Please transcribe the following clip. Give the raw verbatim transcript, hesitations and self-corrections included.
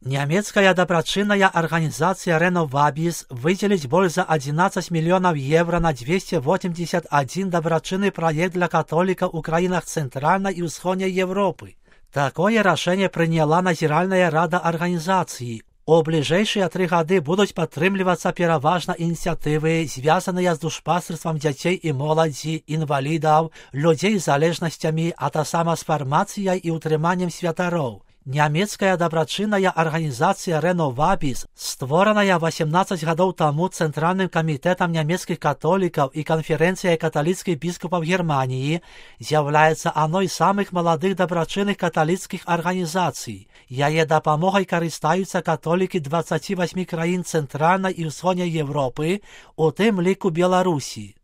Нямецкая дабрачынная арганізацыя Renovabis выделить больше за одиннадцать миллионов евро на двести восемьдесят один дабрачынный проект для католиков в краинах Центральной и Усходней Европы. Такое решение приняла Назиральная рада организации. У ближайшие три годы будут подтримливаться переважно инициативы, связанные с душпастерством детей и молоді, инвалидов, людей с залежностями, а та сама с формацией и утриманием святаров. Нямецкая дабрачынная организация Renovabis, створенная восемнадцать годов тому Центральным комитетом немецких католиков и конференцией католических бискупов Германии, является одной из самых молодых дабрачынных католических организаций. Яе допомогой користаються католики двадцати восьми країн Центральной и Усходней Европы, у тим лику Беларуси.